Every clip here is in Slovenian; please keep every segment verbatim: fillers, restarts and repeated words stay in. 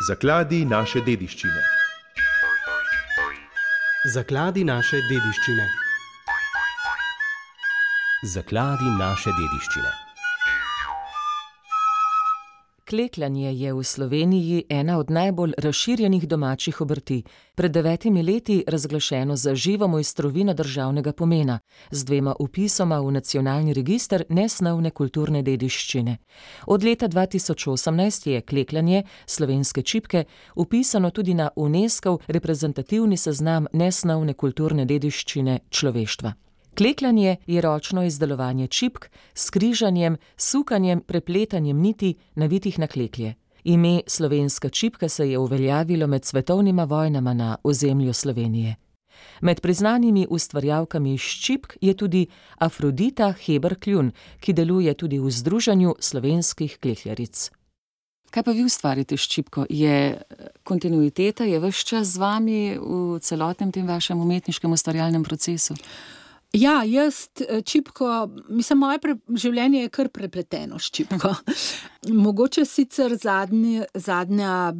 Zakladi naše dediščine. Zakladi naše dediščine. Zakladi naše dediščine. Klekljanje je v Sloveniji ena od najbolj razširjenih domačih obrti. Pred devetimi leti razglašeno za živo mojstrovino državnega pomena, z dvema vpisoma v nacionalni register nesnovne kulturne dediščine. Od leta dva tisoč osemnajst je klekljanje, slovenske čipke, vpisano tudi na UNESCOV reprezentativni seznam nesnovne kulturne dediščine človeštva. Klekljanje je ročno izdelovanje čipk s križanjem, sukanjem, prepletanjem niti, navitih na kleklje. Ime slovenska čipka se je uveljavilo med svetovnima vojnama na ozemlju Slovenije. Med priznanimi ustvarjalkami ščipk je tudi Afrodita Heber Kljun, ki deluje tudi v Združenju slovenskih klekljaric. Kaj pa vi ustvarite s čipko? Je kontinuiteta, je ves čas z vami v celotnem tem vašem umetniškem ustvarjalnem procesu? Ja, jaz čipko, mislim, moje pre, življenje je kar prepleteno s čipko. Mogoče sicer zadnje, zadnja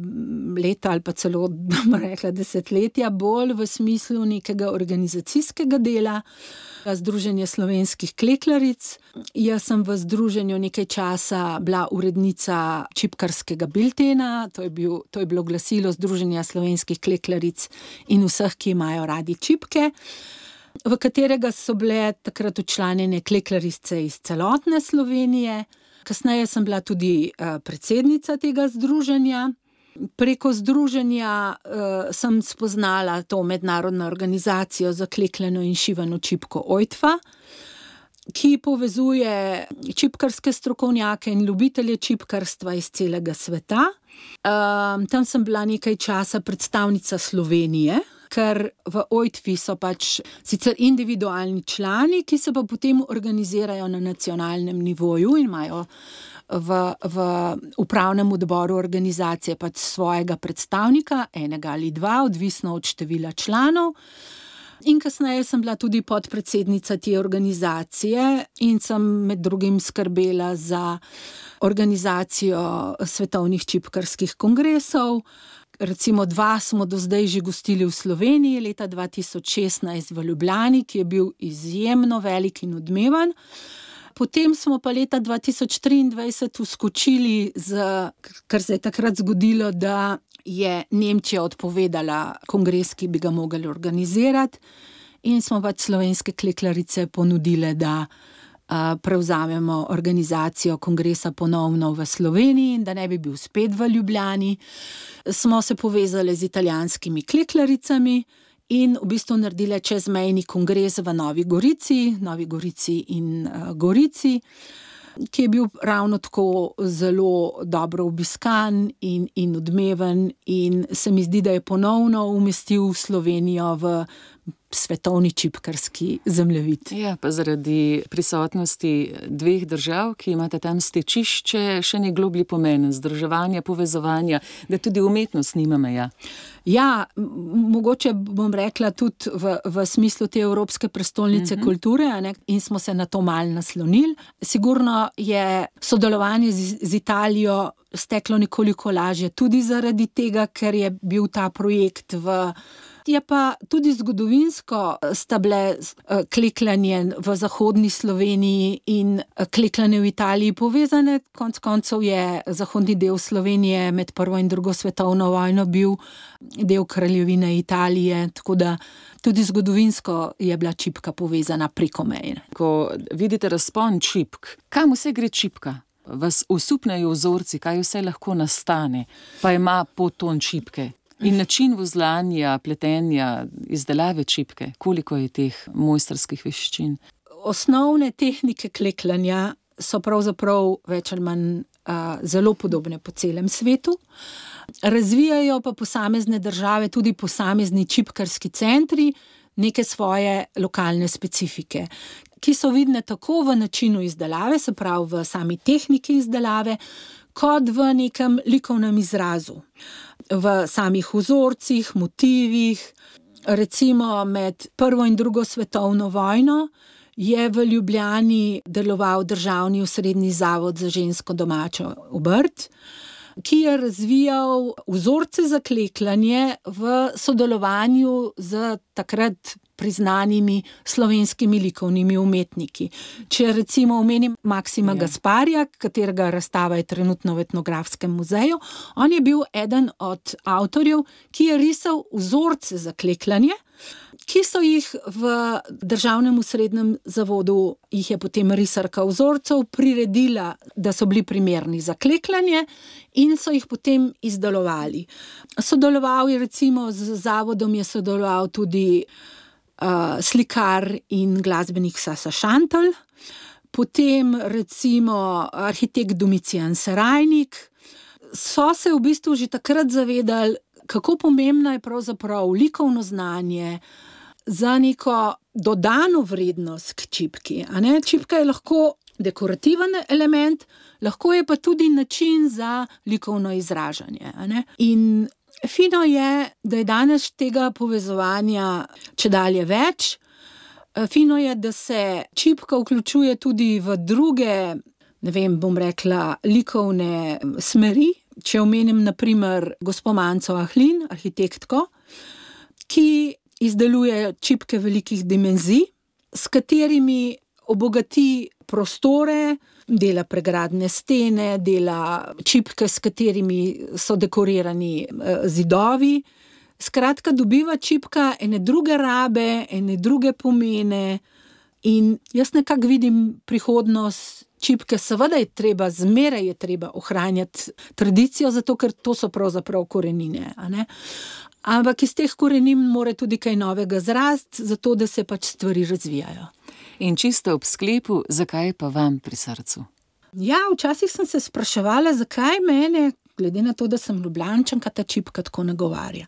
leta ali pa celo, bom rekla, desetletja bolj v smislu nekega organizacijskega dela, Združenje slovenskih klekljaric. Jaz sem v združenju nekaj časa bila urednica čipkarskega biltena, to je, bil, to je bilo glasilo Združenja slovenskih klekljaric in vseh, ki imajo radi čipke, v katerega so bile takrat včlanjene klekljarice iz celotne Slovenije. Kasneje sem bila tudi predsednica tega združenja. Preko združenja uh, sem spoznala to mednarodno organizacijo za klekljano in šivano čipko O I T F A, ki povezuje čipkarske strokovnjake in ljubitelje čipkarstva iz celega sveta. Uh, tam sem bila nekaj časa predstavnica Slovenije, ker v O I T F I so pač sicer individualni člani, ki se pa potem organizirajo na nacionalnem nivoju in imajo v, v upravnem odboru organizacije pač svojega predstavnika, enega ali dva, odvisno od števila članov. In kasneje sem bila tudi podpredsednica te organizacije in sem med drugim skrbela za organizacijo svetovnih čipkarskih kongresov. Recimo dva smo do zdaj že gostili v Sloveniji, leta dva tisoč šestnajst v Ljubljani, ki je bil izjemno velik in odmeven. Potem smo pa leta dva tisoč triindvajset vskočili, z, kar se je takrat zgodilo, da je Nemčija odpovedala kongres, ki bi ga mogli organizirati, in smo pač slovenske klekljarice ponudile, da a, prevzamemo organizacijo kongresa ponovno v Sloveniji in da ne bi bil spet v Ljubljani. Smo se povezali z italijanskimi kleklaricami in v bistvu naredile čezmejni kongres v Novi Gorici, Novi Gorici in uh, Gorici, ki je bil ravno tako zelo dobro obiskan in, in odmeven in se mi zdi, da je ponovno umestil Slovenijo v svetovni čipkarski zemljevid. Ja, pa zaradi prisotnosti dveh držav, ki imate tam stečišče, še ne globlji pomen združevanja, povezovanja, da tudi umetnost nima meja. Ja, mogoče bom rekla tudi v, v smislu te Evropske prestolnice uh-huh. kulture, ne, in smo se na to malo naslonili. Sigurno je sodelovanje z, z Italijo steklo nekoliko lažje tudi zaradi tega, ker je bil ta projekt v Je pa tudi zgodovinsko sta bile klekljanje v zahodni Sloveniji in klekljanje v Italiji povezane. Konec koncev je zahodni del Slovenije med prvo in drugo svetovno vojno bil del kraljevine Italije, tako da tudi zgodovinsko je bila čipka povezana preko meje. Ko vidite razpon čipk, kam vse gre čipka? Vas osupnejo vzorci, kaj vse lahko nastane, pa ima podton čipke? In način vozlanja, pletenja, izdelave čipke, koliko je teh mojstrskih veščin? Osnovne tehnike klekljanja so pravzaprav več ali manj a, zelo podobne po celem svetu. Razvijajo pa posamezne države, tudi posamezni čipkarski centri, neke svoje lokalne specifike, ki so vidne tako v načinu izdelave, se pravi v sami tehniki izdelave, kot v nekem likovnem izrazu. V samih vzorcih, motivih. Recimo med prvo in drugo svetovno vojno je v Ljubljani deloval državni osrednji zavod za žensko domačo obrt, ki je razvijal vzorce za klekljanje v sodelovanju z takrat priznanimi slovenskimi likovnimi umetniki. Če recimo omenim Maksima ja. Gasparija, katerega razstava je trenutno v Etnografskem muzeju, on je bil eden od avtorjev, ki je risal vzorce za klekljanje, ki so jih v Državnem srednjem zavodu, jih je potem risarka vzorcev priredila, da so bili primerni za klekljanje in so jih potem izdelovali. Sodeloval je recimo z zavodom, je sodeloval tudi uh, slikar in glasbenik Sasa Šantel, potem recimo arhitekt Domicijan Serajnik. So se v bistvu že takrat zavedali, kako pomembno je pravzaprav likovno znanje za neko dodano vrednost k čipki. A ne? Čipka je lahko dekorativen element, lahko je pa tudi način za likovno izražanje. A ne? In fino je, da je danes tega povezovanja čedalje več. Fino je, da se čipka vključuje tudi v druge, ne vem, bom rekla, likovne smeri. Če omenim na primer gospo Manco Ahlin, arhitektko, ki izdeluje čipke velikih dimenzij, s katerimi obogati prostore, dela pregradne stene, dela čipke, s katerimi so dekorirani zidovi. Skratka, dobiva čipka ene druge rabe, ene druge pomene in jaz nekako vidim prihodnost čipke. Seveda je treba, zmeraj je treba ohranjati tradicijo, zato ker to so pravzaprav korenine, a ne? Ampak iz teh korenin mora tudi kaj novega zrasti, zato da se pač stvari razvijajo. In čisto ob sklepu, zakaj pa vam pri srcu? Ja, včasih sem se spraševala, zakaj mene, glede na to, da sem Ljubljančanka, ta čipka tako nagovarja.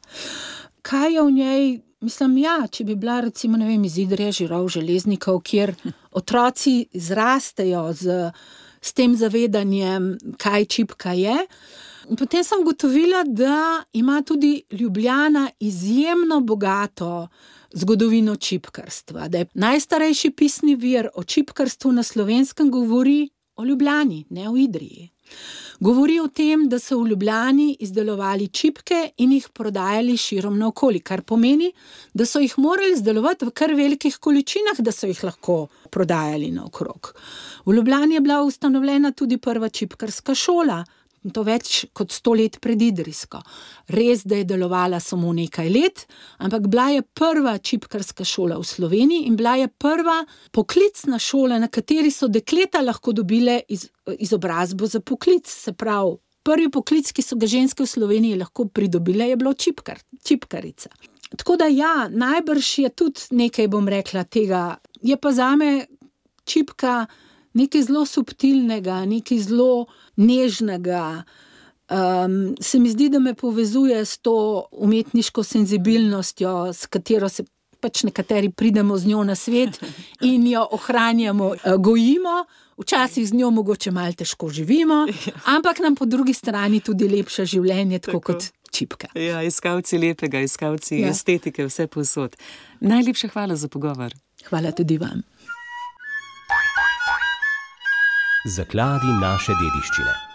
Kaj je v njej? Mislim, ja, če bi bila recimo, ne vem, iz Idrije, Žirov, Železnikov, kjer otroci zrastejo z, s tem zavedanjem, kaj čipka je. Potem sem ugotovila, da ima tudi Ljubljana izjemno bogato zgodovino čipkarstva. Da je najstarejši pisni vir o čipkarstvu na Slovenskem govori o Ljubljani, ne o Idriji. Govori o tem, da so v Ljubljani izdelovali čipke in jih prodajali širom naokoli, kar pomeni, da so jih morali izdelovati v kar velikih količinah, da so jih lahko prodajali naokrog. V Ljubljani je bila ustanovljena tudi prva čipkarska šola, to več kot sto let pred Idrijsko. Res, da je delovala samo nekaj let, ampak bila je prva čipkarska šola v Sloveniji in bila je prva poklicna šola, na kateri so dekleta lahko dobile iz, izobrazbo za poklic. Se pravi, prvi poklic, ki so ga ženske v Sloveniji lahko pridobile, je bilo čipkar, čipkarica. Tako da ja, najbrž je tudi nekaj, bom rekla, tega. Je pa zame čipka nekaj zelo subtilnega, nekaj zelo nežnega. Um, se mi zdi, da me povezuje s to umetniško senzibilnostjo, s katero se pač nekateri pridemo z njo na svet in jo ohranjamo, gojimo. Včasih z njo mogoče malo težko živimo, ampak nam po drugi strani tudi lepša življenje, tako, tako kot čipka. Ja, iskalci lepega, iskalci ja. estetike, vse povsod. Najlepša hvala za pogovor. Hvala tudi vam. Zakladi naše dediščine.